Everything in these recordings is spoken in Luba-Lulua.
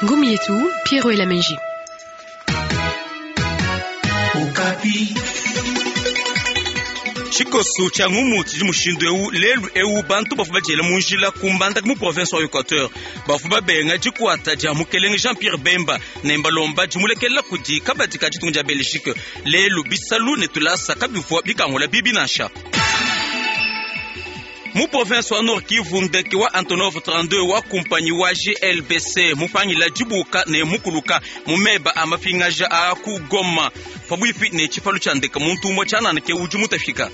Ngumu yetu Pierrot Elamenji. Tshikoso tshia ngumu tshidi mushindu eu lelu eu bantu bavua badiela mu njila ku Mbandaka mu province wa Equateur bavua babenga dikuata dia mukelenge Jean Pierre Bemba ne mbalomba dimulekelela kudi kabadi ka ditunga dia Belgique. Lelu bisalu ne tulasa kabivua bikangula bibi nansha. Mu province wa Nord Kivu, ndeke wa Antonov 32 wa kumpanyi wa GLBC mupangila dibuka ne mukuluka mu meba a mapingaja a ku Goma pabuipi ne tshipalu tshia ndeke muntu umue tshianana ke udi mutafika.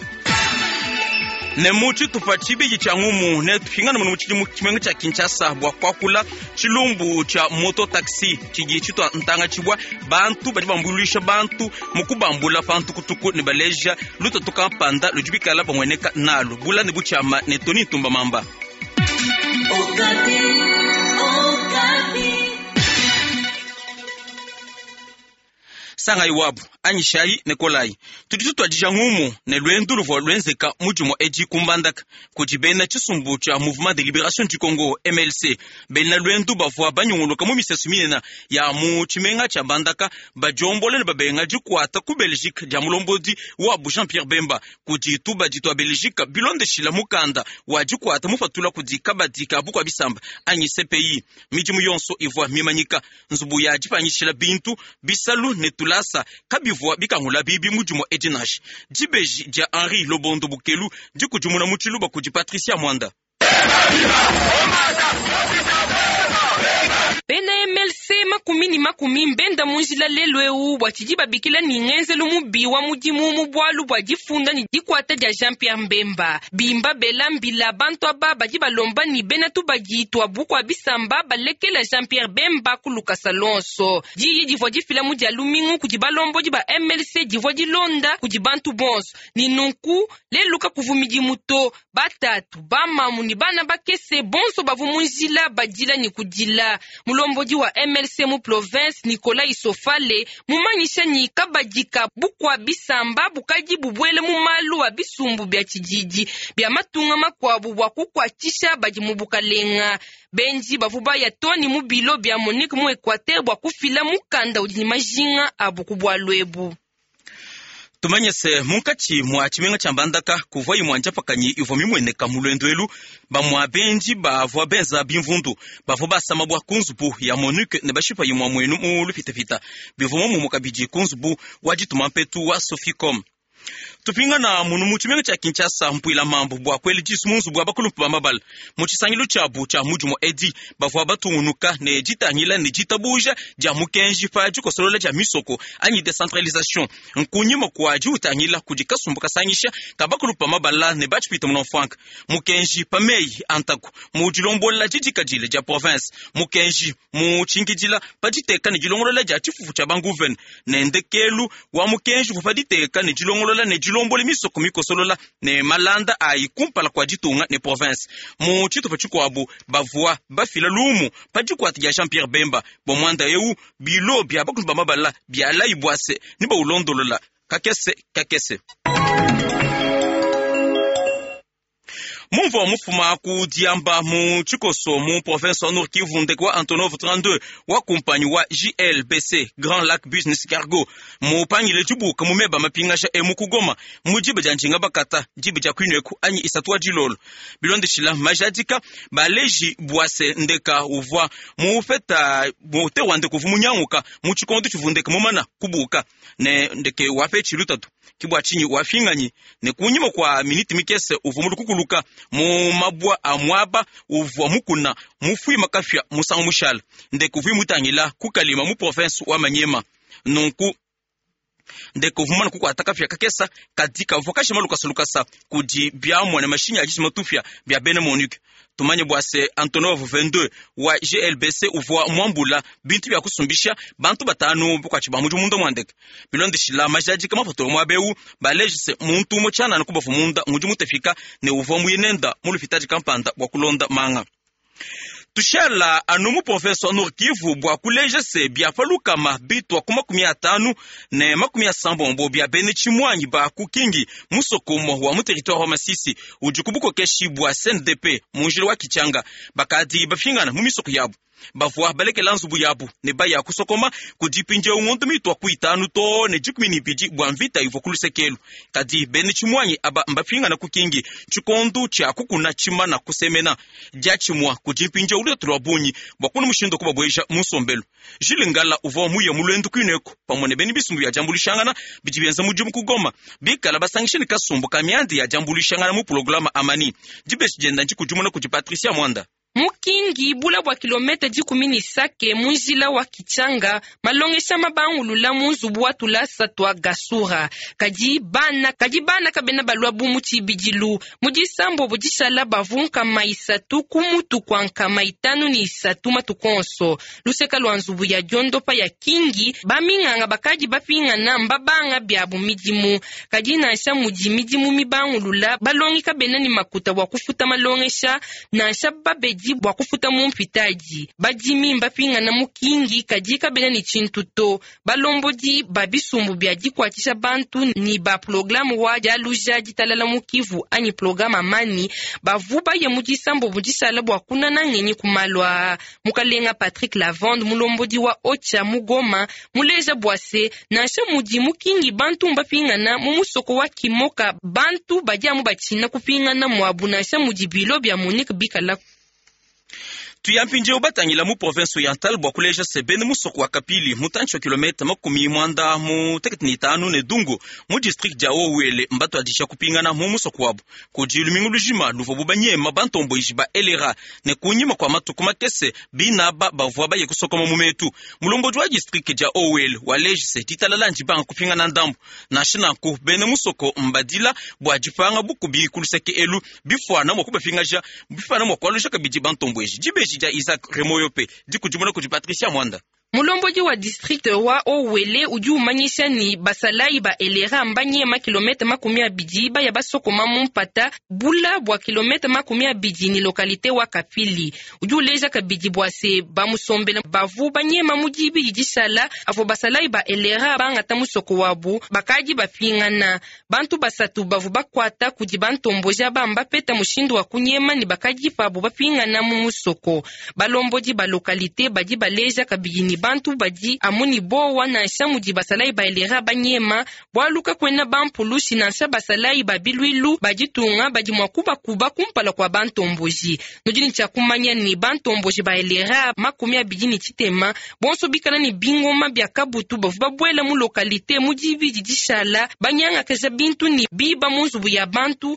Ne mu tshitupa tshibidi tshia ngumu ne tupingana muno mu tshidimu tshimenga tshia Kinshasa bua kuakula tshilumbu tshia moto taxi tshidi tshitua ntanga tshibua bantu badi bambuluisha bantu mu kubambula pa ntukutuku ne baleja lutatu kampanda ludi bikala bamueneka nalu bula ne butshiama ne Tony Ntumba Mamba. Sangayi wabu anyishayi ne kolayi. Tudi tutuadija ngumu ne luendu luvua luenzeka mu dimue edi ku Mbandaka kudi bena tshisumbu tshia Mouvement de Liberation du Congo MLC. Bena luendu bavua banyunguluka mu misesu minene ya mu tshimenga tshia Mbandaka badiombola ne babenga dikuata ku Belgique dia mulombodi wabu Jean Pierre Bemba kudi tubadi tua Belgique bilondeshila mukanda wa dikuata mupatula kudi kabadi ka bukua bisamba anyi CPI. Midimu yonso ivua mimanyika, nzubu ya dipanyishila bintu, bisalu ne tulasa kabivua bikangula bibi mu dimue edi nansha. Dibeji dia Henri Lobondo Bukelu dikudimuna mu tshiluba kudi Patricia Mwanda. Bena MLC makumi ne makumi mbenda mu njila lelu eu bua tshidi babikila ne ngenzelu mubi wa mudimu mu bualu bua difunda ne dikuata dia Jean Pierre Mbemba. Bimba bela mbila bantu aba badi balomba ne bena tubadi tua bukua bisamba balekela Jean Pierre Bemba ku lukasa luonso. Diyi divua difila mu dia lumingu kudi balombodi ba MLC divua dilonda kudi bantu bonso ne nunku lelu kakuvu midimu to. Batatu, bamamu ne bana bakese bonso bavua mu njila badila ne kudila. Mulombodi wa MLC mu province Nicolas Isofale mumanyisha ne kabadi ka bukua bisamba bukadi bubuele mu malu a bisumbu bia tshididi bia matunga makuabu bua kukuatshisha badi mu bukalenga. Benji bavua baya too ne mu bilo bia Monique mu Equateur bua kufila mukanda udi ne majinga abu ku bualu ebu. Tumanye se munkatshi mua tshimenga tshia Mbandaka kuvua imue njapakanyi ivua mimueneka mu luendu elu. Bamue benji bavua benza bimvundu bavua basa mabua ku nzubu ya Monique ne bashipa imue muenu mu lupitapita. Bivua muomumue kabidi ku nzubu wa dituma mpetu wa Soficom. Tupingana munu mu tshimenga tshia Kinshasa mpuila mambu bua kuela disu mu nzubu wa bakulumpe ba mabala. Mu tshisangilu tshiabu tshia mudimu edi bavua batungunuka ne ditangila ne ditabuja dia mukenji pa dikosolola dia misoko anyi decentralisation. Nkunyima kua diutangila kudi kasumbu kasangisha ka bakulumpe ba mabala ne ba tshipita munamfuanka mukenji pa meyi a ntaku mu dilombola didikadile dia province, mukenji mu tshinkidila pa diteka ne dilongolola dia tshifufu tshia banguvene ne ndekelu wa mukenji uvua pa diteka ne dilongolola ne dilombola misoko mikosolola ne malanda ayi kumpala kua ditunga ne province. Mu tshitupa tshikuabu bavua bafila lumu pa dikuata dia Jean Pierre Bemba bua muanda eu, bilo bia bakulu ba mabala bialayi bua se ne baulondolola kakese kakese. Mumvua mufuma ku diamba mu tshikoso mu province wa Nord Kivu, ndeke wa Antonov 32 wa kumpanyi wa JLBC Grand Lac Business Cargo mupangile dibuka mu meba mapingaja emu ku Goma mu diba dia njinga bakata diba dia kuinueku anyi isatu wa dilolo. Bilondeshila majadika baleji bua se ndeka uvua mupeta moteur wa ndeke uvua munyanguka mu tshikondo tshivua ndeke mumana kubuka ne ndeke wapetshi lutatu ke bua tshinyi wafinganyi ne kunyima kua miniti mikese uvua mulukukuluka mu mabua a muaba uvua mukuna mufuima kapia musangu mushala ndeke uvua mutangila ku Kalima mu province wa Maniema. Nunku ndeke uvua mumane kukuata kapia kakesa kadi kavua kashima lukasa lukasa kudi biamua ne mashinyi a dishima tupia bia bena MONUC. Tumanye bua se Antonov 22 wa GLBC uvua muambula bintu bia kusumbisha bantu batanu bukuatshi ba mudimu munda mua ndeke. Bilondeshila majadika mapatula muaba eu baleje se muntu umue tshianana kubavu munda ngudi mutafika ne uvua muye nenda mu lupitadi kampanda bua kulonda manga. Tushala anu mu province wa Nord Kivu bua kuleja se bia pa lukama bitua ku 59 bia bena tshimuangi ba ku Kingi, musoko umue wa mu territoire wa Masisi udi ku bukokeshi bua CNDP mu njila wa Kitshanga, bakadi bapingana mu misoko yabu. Bavua balekela nzubu yabu ne baya kusokoma kudi mpindieu ngondo mitua ku 5 too ne 12 bua mvita ivua ku lusekelu. Kadi bena tshimuangi aba mbapingana ku Kingi tshikondo tshia kukuna tshimana kusemena diatshimua kudi mpindieu lutatu lua bungi bua kuna mushindu wa kubabueja mu nsombelu. Jules Ngala uvua muye mu luendu kuineko pamue ne bena bisumbu bia diambuluishangana bidi bienza mudimu ku Goma, bikala basangisha ne kasumbu ka mianda ya diambuluishangana mu programe Amani. Dibeji dienda ndikudimuna kudi Patricia Mwanda. Mukingi bula bua kilometa 10 ne Sake mu njila wa Kitshanga, malongesha mabangulula mu nzubu wa tulasa tua Gasura. Kadi bana, kadi bana kabena balua bu mu tshibidilu. Mu disambobo dishala bavu 300 ku mutu kua 53 matuku onso. Luseka lua nzubu ya diondopa ya Kingi, baminganga bakadi bapingana mbabanga biabu midimu. Kadi nansha mudi midimu mibangulula, balongi kabena ne makuta bua kufuta malongesha, nansha babedi bua kufuta mu mpitadi. Badimi mbapingana mu Kingi, kadi kabena ne tshintu to. Balombodi ba bisumbu bia dikuatshisha bantu ni ba programme wa dialuja ditalala mu Kivu anyi programme Amani bavu baye mu disambobo dishala bua kunana ngenyi ku malu aa. Mukalenga Patrick Lavande, mulombodi wa Ocha mu Goma, muleja bua se nansha mudi mu Kingi bantu mbapingana mu musoko wa Kimoka, bantu badi amu batshina kupingana muabu nansha mudi bilo bia MONUC bikala. Tuya mpindieu batangila mu province orientale bua kuleja se bena musoko wa Kapili mutantshi wa kilometa 95 ne Dungu mu district dia Haut-Uele mbatuadija kupingana mu musoko wabu kudi lumingu lujima luvua banyema bantomboji ba LRA ne kunyima kua matuku makese binaba bavua baye kusokoma mu metu. Mulombodi wa district dia Haut-Uele waleji se ditalala ndibanga kupingana ndambu nansha nanku bena musoko mbadila bua dipanga bukubi ku luseke elu bifuana mua kubapingaja bifuana mua kualuja kabidi bantomboji. Dibeji dia Isaac Remoyope dikudimuna kudi Patricia Mwanda. Mulombodi wa district wa Haut-Uele udi umanyisha ni basalayi ba LRA mbanyema kilometa 20 baya basokoma mu mpata bula bua kilometa 20 ni localité wa Kapili. Udi uleja kabidi bua se bamusombela bavu banyema mu dibidi dishala avo basalayi ba LRA bangata musoko wabu bakadi bapingana. Bantu basatu bavu bakwata kudi bantomboja bamba peta mushindu wa kunyema ni bakadi pabu bapingana mu musoko. Balombodi ba localité badi baleja kabidi ni bantu badi amuni bowa nansha mudi basalayi ba LRA banyema bwaluka kwena bampulushi nansha basalayi ba bilwilu baditunga badi mwa kubakuba kumpala kwa bantomboji. Nudi ni kumanya ni bantomboji ba LRA 23 bonso bikala ni bingoma bya kabutu bavu babwela mu localité mu dibidi dishala banyanga kaja bintu ni biba mu nzubu ya bantu.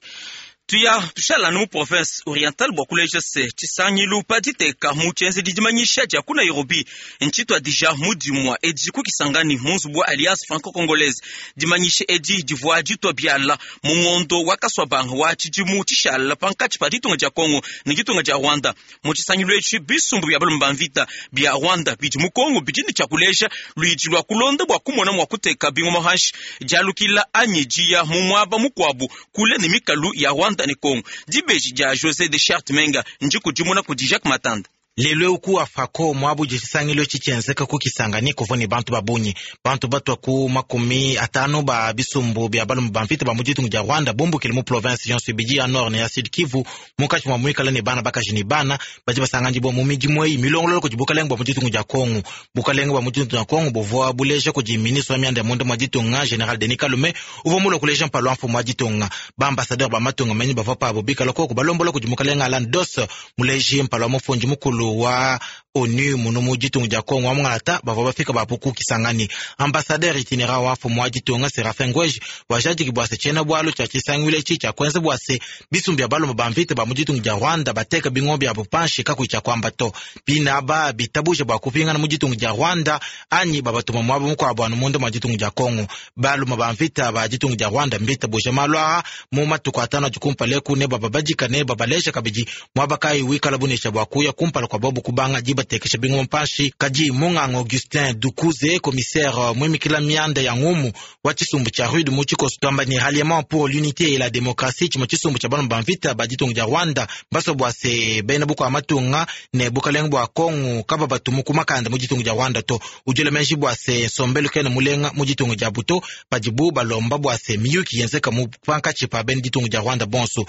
Tuya tushala mu province orientale bua kuleja se tshisangilu pa diteka mu tshienzedi dimanyisha dia ku Nairobi ntshituadija mu dimua edi ku Kisangani mu nzubu wa Alliance franco-congolaise. Dimanyisha edi divua ditua biala mu ngondo wa kaswabanga wa tshidimu tshishala pankatshi pa ditunga dia Congo ne ditunga dia Rwanda. Mu tshisangilu etshi bisumbu bia balumba mvita bia Rwanda bidi mu Congo bidi ne tshia kuleja luidi lua kulonda bua kumona mua kuteka bingoma hanshi dialukila anyi dia mu muaba mukuabu kule ne mikalu ya Rwanda ne Congo. Dibeji dia José de Charte Menga ndikudimuna kudi Jacques Matanda. Lelo ku afako mwabu tshisangilo tshitshienzeka ku Kisangani kuvua ne bantu babunyi bantu batwa ku 50 ba bisumbu bia balume ba mvita ba mu ditunga dia Rwanda bumbukile mu province yonso ibidi ya Nord ne ya Sud Kivu munkatshi mua muikala ne bana bakaji ne bana badi basanganyibua mu midimu eyi milongolola kudi bukalenge bua mu ditunga dia Kongo. Bukalenge bua mu ditunga dia Kongo buvua buleja kudi ministre wa mianda ya munda mua ditunga General Denis Kalume uvua mulue kuleja mpalu wa mfumu wa ditunga. Ba ambassadeur ba matunga menyi bavua pabo bikala koko balombola kudi mukalenge Alan Doss muleji mpalu wa mufundi mukulu wa ONU munu mu ditunga dia Kongo wa mungalata bavua bafika bapu ku Kisangani. Ambassadeur itinéraire wa mfumu wa ditunga Serafin Ngweji wajadiki bua se tshiena bualu tshia tshisangilu etshi tshia kuenza bua se bisumbu bia balume ba mvita ba mu ditunga dia Rwanda bateka bingo biabu panshi kakuyi tshia kuamba to. Binaba bitabuja bua kupingana mu ditunga dia Rwanda anyi babatuma muaba mukuabu anu munda mua ditunga dia Kongo. Balume ba mvita ba ditunga dia Rwanda mbitabuja malu aa mu matuku atano adi kumpala eku ne bababadika ne babaleja kabidi muaba kayi wikala bunesha bua kuya kumpala kua bobu kubanga diba. batekesha bingoma panshi. Kadi munganga Augustin Dukuze, commissaire muimikila mianda ya ngumu wa tshisumbu tshia RUD mu tshikoso, tuamba ne Ralliement pour l'unité et la démocratie, tshimue tshisumbu tshia balomba mvita ba ditunga dia Rwanda, basua bua se bena bukua matunga ne bukalenga bua Kongo kaba batumu ku makanda mu ditunga dia Rwanda to. Udi wela meji bua se nsombelu kena mulenga mu ditunga diabu to padibu balomba bua se miyuki yenzeka mu pankatshi pa bena ditunga dia Rwanda bonso.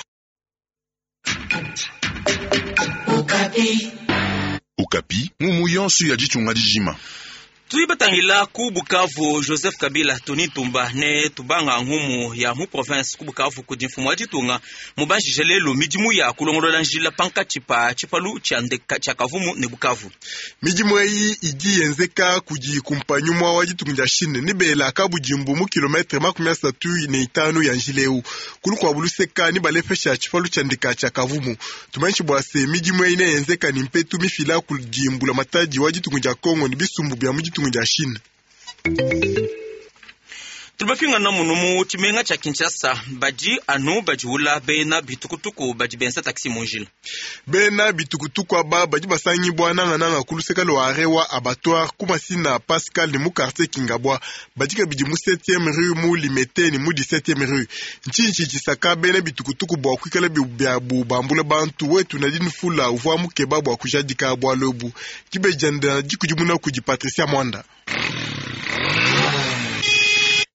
Okapi, ngumu yonso ya ditunga dijima. Tudi batangila ku Bukavu Joseph Kabila Tony Ntumba ne tubanga ngumu ya mu province ku Bukavu kudi mfumu wa ditunga mubanjije lelu midimu ya kulongolola njila pankatshi pa tshipalu tshia ndeka tshia Kavumu ne Bukavu. Midimu eyi idi yenzeka kudi kumpanyi umue wa ditunga dia Chine ne bela kabudimbu mu kilometre 35 ya njila eu. Ku lukuabu luseka ne balepesha tshipalu tshia ndeka tshia Kavumu. Tumanyishe bua se midimu eyi neyenzeka ne mpetu mifila kudi mbulamatadi wa ditunga dia Congo ne bisumbu bia mu ditunga dia Chine. Tubapingana munu mu tshimenga tshia Kinshasa, badi anu badiwula bena bitukutuku badi benza taxi mu njila. Bena bitukutuku aba badi basangibua nangananga ku luseke lua arret wa abattoir ku Masina Pascal ne mu quartier Kingabwa. Badi kabidi mu 7e rue mu Limete ne mu 17e rue. Ntshinyi tshidi tshisaka bena bitukutuku bua kuikala biabu bambula bantu? Wetu Nadine Fula uvua mukeba bua kujadika bualu ebu. Dibeji dienda dikudimuna kudi Patricia Mwanda.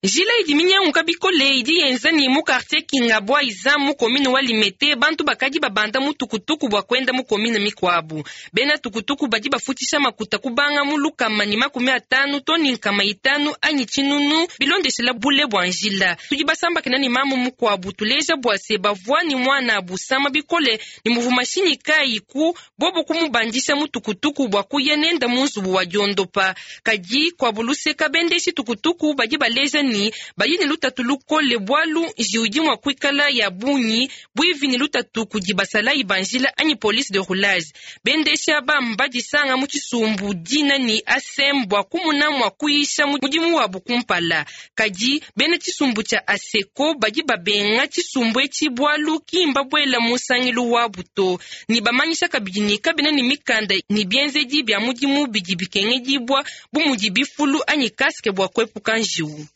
Njila idi minyanguka bikole idi yenza ne mu quartier Kingabwa iza mu commune wa Limete bantu bakadi babanda mu tukutuku bua kuenda mu commune mikuabu. Bena tukutuku badi bafutshisha makuta kubanga mu lukama ne 50 to ne 500 anyi tshinunu bilondeshela bule bua njila. Tudi basambakena ne mamu mukuabu tuleja bua se bavua ne muana busama bikole ne muvu mashinyi kayi ku bobo kumubandisha mu tukutuku bua kuya nenda mu nzubu wa diondopa. Kadi kuabu luseka bendeshi tukutuku badi baleja ni badi ne lutatu lukole bwalu njiwu idi mua kuikala ya bungi buivi ne lutatu kudi basalayi ba njila anyi police de roulage. Bendesha bamba disanga mu tshisumbu dina ni ASEM bua kumuna mua kuyisha mudimu wabu kumpala. Kadi bena tshisumbu tshia ASECO badi babenga tshisumbu etshi bwalu kimba buela mu nsangilu wabu to. Ni bamanyisha kabidi ni kabena ne mikanda ni bienzedi bia mudimu bidi bikengedibua bu mudi bifulu anyi casque bua kuepuka njiwu.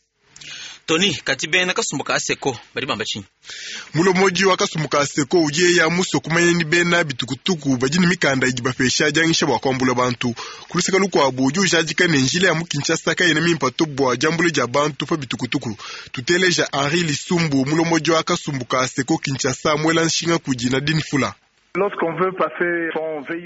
Tony kati bena kasumbu ka ASECO badi bamba tshinyi? Mulombodi wa kasumbu ka ASECO udi yeya musue kumanya ni bena bitukutuku badi ne mikanda idi bapesha dianyisha bua kuambula bantu. Ku luseke lukuabu udi ujadika ne njila ya mu Kinshasa kayena mimpe to bua diambula dia bantu pa bitukutuku. Tuteleja Henri Lisumbu, mulombodi wa kasumbu ka ASECO Kinshasa, muela nshinga kudi Nadine Fula.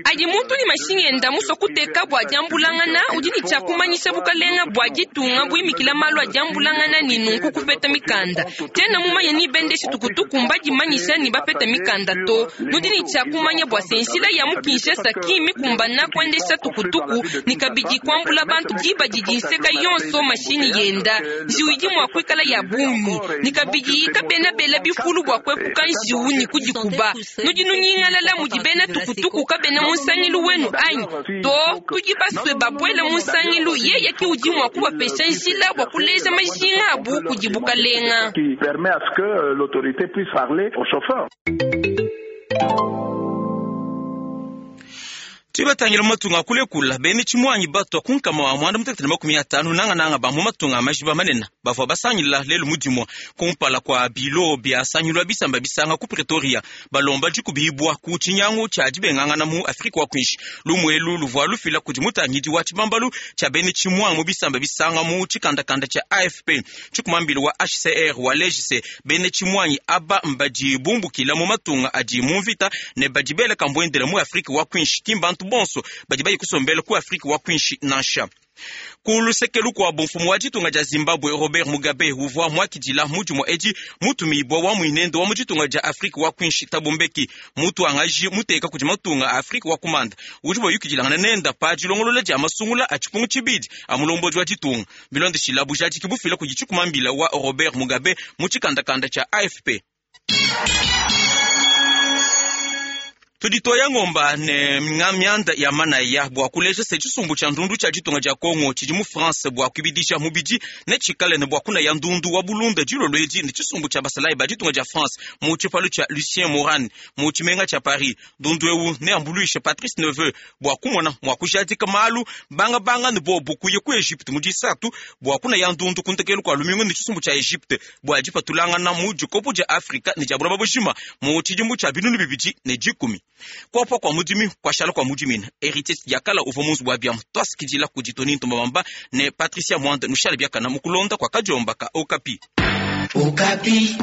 Adi muntu ne mashinyi enda musue kuteka bua diambulangana udi ne tshia kumanyisha bukalenga bua ditunga buimikila malu a diambulangana ne nunku kupeta mikanda. Tshiena mumanye ni bendeshi tukutuku mbadimanyisha ni bapeta mikanda to. Nudi ne tshia kumanya bua se njila ya mu Kinshasa ki mikumbana kuendesha tukutuku ne kabidi kuambula bantu diba didi nseka yonso mashinyi yenda. Njiwu idi mua kuikala ya bungi ne kabidi kabena bela bifulu bua kuepuka njiwu ne kudikuba. Nudi nunyingalala mudi bena tukutuku kabena mu nsangilu wenu anyi to? Tudi basue babuele mu nsangilu yeye ki udi mua kubapesha njila bua kuleja majinga abu kudi bukalenga. Tubatangila mu matunga akulekula bena tshimuangi batua ku nkama wa 195 nangananga ba mu matunga a majiba manene bavua basangila lelu mudimua kumpala kua bilo bia sangilwa bisamba bisanga ku Pretoria balomba dikubibua ku tshinyangu tshia dibengangana mu Afrika wa kuinshi. Lumuelu luvua lufila kudi mutangidi wa tshibambalu tshia bena tshimuangi mu bisamba bisanga mu tshikandakanda tshia AFP. Tshikumambili wa HCR wa legise bena tshimuangi aba mbadi bumbukila mu matunga adi mu mvita ne badi bela kambuendela mu Afrika wa kuinshi kimbantu bonso badi bayi kusombela ku Afrika wa kuinshi nansha. Ku luseke lukuabu mfumu wa ditunga dia Zimbabwe Robert Mugabe uvua muakidila mudimu edi mutumibua wa muinendo wa mu ditunga dia Afrika wa kuinshi Thabo Mbeki mutuangaji muteka kudi matunga a Afrika wa kumanda udi bayukidilangana nenda pa dilongolola dia masungula a tshipungu tshibidi a mulombodi wa ditunga bilondeshila bujadiki bufila kudi tshikumambila wa Robert Mugabe mu tshikandakanda tshia AFP. Tudi toya ngomba ne mianda ya manaya bua kuleja se tshisumbu tshia ndundu tshia ditunga dia Congo tshidi mu France bua kuibidisha mubidi ne tshikale ne bua kunaya ndundu wa bulunda dilolo edi ne tshisumbu tshia basalayi ba ditunga dia France mu tshipalu tshia Lucien Moran mu tshimenga tshia Paris. Ndundu eu neambuluishe Patrice Neveu bua kumona mua kujadika malu bangabanga ne bobu kuya ku Egypte mu disatu bua kunaya ndundu ku ntekelu kua lumingu ne tshisumbu tshia Egypte bua dipatulangana mu dikopo dia Afrika ne dia buloba bujima mu tshidimu tshia 2010. Kuapa kua mudimi kuashala kua mudimina Heritier Diakala uvua mu nzubu wa biamu tuasikidila kudi Tony Ntumba Mamba ne Patricia Mwanda nushale biakana mu kulonda kua kadiomba ka Okapi. Okapi.